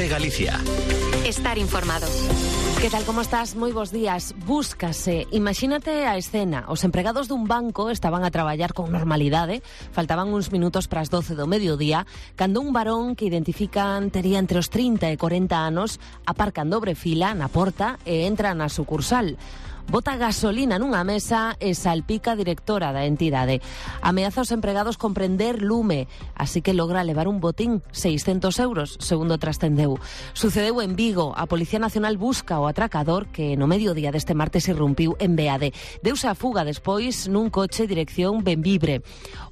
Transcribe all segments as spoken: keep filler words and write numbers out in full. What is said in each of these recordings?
COPE Galicia. Estar informado. Que tal, como estás? Moi bons días. Búscase, imagínate a escena. Os empregados dun banco estaban a traballar con normalidade. Faltaban uns minutos para as doce do mediodía, cando un varón que identifican tería entre os trinta e cuarenta anos aparca en dobre fila na porta e entra na sucursal. Bota gasolina nunha mesa e salpica a directora da entidade. Ameaza aos empregados con prender lume, así que logra levar un botín, seiscentos euros, segundo trascendeu. Sucedeu en Vigo. A Policía Nacional busca o atracador que no mediodía deste martes irrumpiu en Beade. Deuse a fuga despois nun coche dirección Benvibre.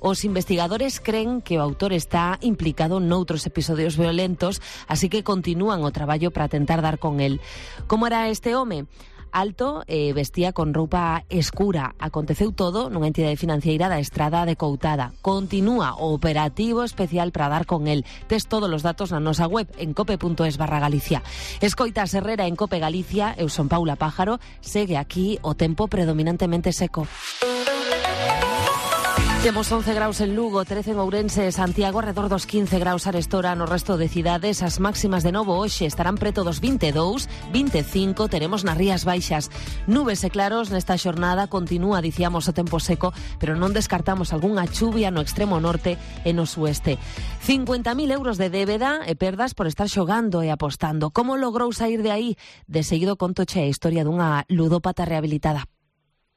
Os investigadores creen que o autor está implicado noutros episodios violentos, así que continúan o traballo para tentar dar con el. Como era este home? Alto e eh, vestía con roupa escura. Aconteceu todo nunha entidade financiera da Estrada de Coutada. Continúa o operativo especial para dar con el. Tes todos os datos na nosa web en cope.es barra Galicia. Escoitas Herrera en Cope Galicia. Eu son Paula Pájaro. Segue aquí o tempo predominantemente seco. Temos once graus en Lugo, trece en Ourense e Santiago, arredor dos quince graus arestora no resto de cidades. As máximas de novo hoxe estarán preto dos vinte e dous, vinte e cinco, teremos nas Rías Baixas. Nubes e claros nesta xornada, continúa, dicíamos, o tempo seco, pero non descartamos algunha chuvia no extremo norte e no sueste. cincuenta mil euros de débeda e perdas por estar xogando e apostando. Como logrou sair de aí? De seguido contoche a historia dunha ludópata rehabilitada.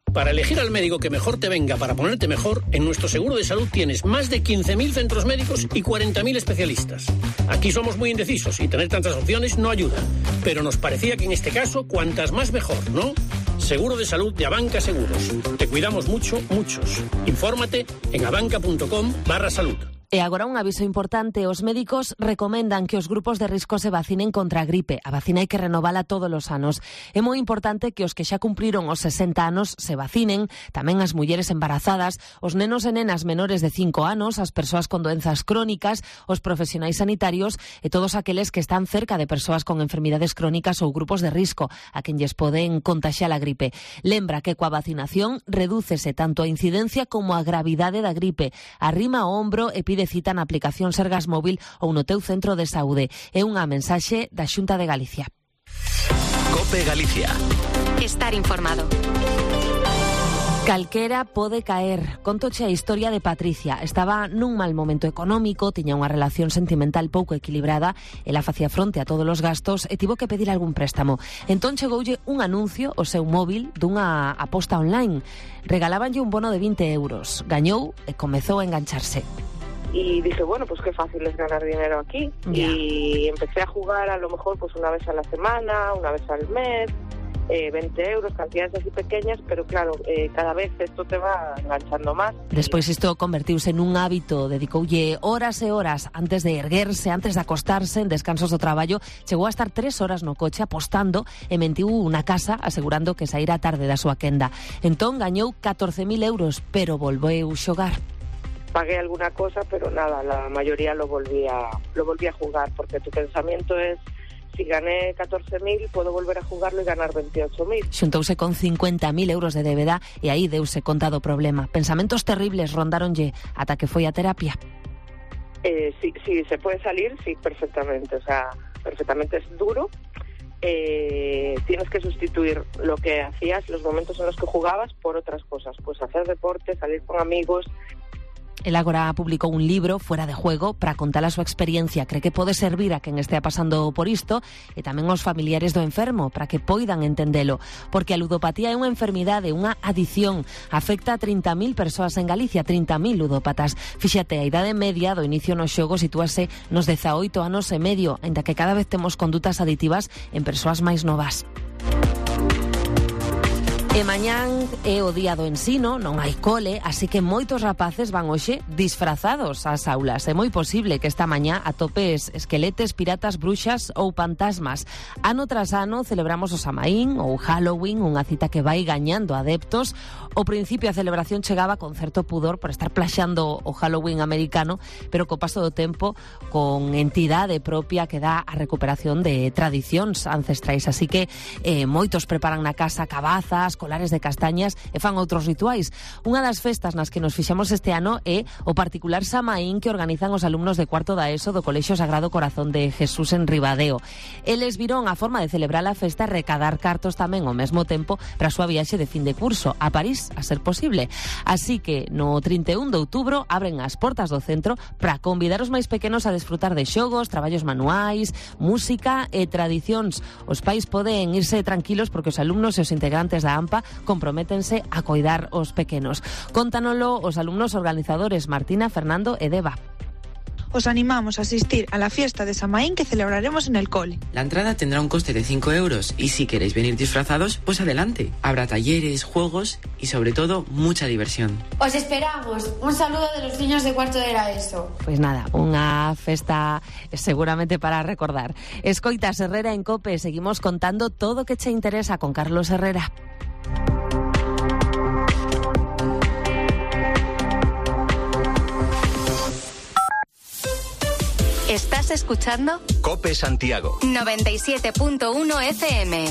Para elegir al médico que mejor te venga para ponerte mejor, en nuestro seguro de salud tienes más de quince mil centros médicos y cuarenta mil especialistas. Aquí somos muy indecisos y tener tantas opciones no ayuda. Pero nos parecía que en este caso, cuantas más mejor, ¿no? Seguro de salud de Abanca Seguros. Te cuidamos mucho, muchos. Infórmate en abanca.com barra salud. E agora un aviso importante. Os médicos recomendan que os grupos de risco se vacinen contra a gripe. A vacina hai que renovala todos os anos. É moi importante que os que xa cumpriron os sesenta anos se vacinen, tamén as mulleres embarazadas, os nenos e nenas menores de cinco anos, as persoas con doenzas crónicas, os profesionais sanitarios e todos aqueles que están cerca de persoas con enfermidades crónicas ou grupos de risco a quen lles poden contaxiar a gripe. Lembra que coa vacinación redúcese tanto a incidencia como a gravidade da gripe. Arrima o ombro e pide de cita na aplicación Sergas Móvil ou no teu centro de saúde. É unha mensaxe da Xunta de Galicia. COPE Galicia. Estar informado. Calquera pode caer. Contoche a historia de Patricia. Estaba nun mal momento económico, tiña unha relación sentimental pouco equilibrada, ela facía fronte a todos os gastos e tivo que pedir algún préstamo. Entón chegoulle un anuncio ao seu móvil dunha aposta online. Regalábanlle un bono de vinte euros. Gañou e comezou a engancharse. Y dije, bueno, pues qué fácil es ganar dinero aquí. Yeah. Y empecé a jugar a lo mejor pues una vez a la semana, una vez al mes, eh, veinte euros, cantidades así pequeñas, pero claro, eh, cada vez esto te va enganchando más. Despois isto convertiuse nun hábito, dedicoulle horas e horas antes de erguerse, antes de acostarse, en descansos do traballo. Chegou a estar tres horas no coche apostando e mentiu unha casa asegurando que saíra tarde da súa quenda. Entón gañou catorce mil euros, pero volveu xogar. Pagué alguna cosa, pero nada, la mayoría lo volví a, lo volví a jugar, porque tu pensamiento es, si gané catorce mil, puedo volver a jugarlo y ganar veintiocho mil. Xuntouse con cincuenta mil euros de débeda e aí deuse conta do problema. Pensamentos terribles rondaronlle ata que foi a terapia. Eh, sí, sí, se puede salir, sí, perfectamente, o sea, perfectamente. Es duro. Eh, tienes que sustituir lo que hacías, los momentos en los que jugabas, por otras cosas. Pues hacer deporte, salir con amigos. El agora publicou un libro, Fuera de Juego, para contar a súa experiencia. Cree que pode servir a quen estea pasando por isto e tamén aos familiares do enfermo, para que poidan entendelo. Porque a ludopatía é unha enfermidade, unha adición. Afecta a trinta mil persoas en Galicia, trinta mil ludópatas. Fíxate, a idade media do inicio no xogo sitúase nos dezaoito anos e medio, ainda que cada vez temos condutas aditivas en persoas máis novas. E mañán é o día do ensino, non hai cole, así que moitos rapaces van hoxe disfrazados ás aulas. É moi posible que esta mañá atopes esqueletes, piratas, bruxas ou fantasmas. Ano tras ano celebramos o Samaín ou Halloween, unha cita que vai gañando adeptos. Ao principio a celebración chegaba con certo pudor por estar plaxando o Halloween americano, pero co paso do tempo con entidade propia que dá a recuperación de tradicións ancestrais. Así que eh, moitos preparan na casa cabazas, colares de castañas e fan outros rituais. Unha das festas nas que nos fixamos este ano é o particular Samaín que organizan os alumnos de cuarto da ESO do Colexio Sagrado Corazón de Jesús en Ribadeo. Eles viron a forma de celebrar a festa e recadar cartos tamén ao mesmo tempo para a súa viaxe de fin de curso a París, a ser posible. Así que no trinta e un de outubro abren as portas do centro para convidar os máis pequenos a desfrutar de xogos, traballos manuais, música e tradicións. Os pais poden irse tranquilos porque os alumnos e os integrantes da AMPA comprométense a coidar os pequenos. Contanolo os alumnos organizadores Martina, Fernando e Deva. Os animamos a asistir a la fiesta de Samaín que celebraremos en el cole. La entrada tendrá un coste de cinco euros y si queréis venir disfrazados, pues adelante. Habrá talleres, juegos y sobre todo mucha diversión. Os esperamos. Un saludo de los niños de cuarto de la ESO. Pois nada, unha festa seguramente para recordar. Escoitas Herrera en COPE, seguimos contando todo o que che interesa con Carlos Herrera. ¿Estás escuchando? COPE Santiago. noventa y siete punto uno F M.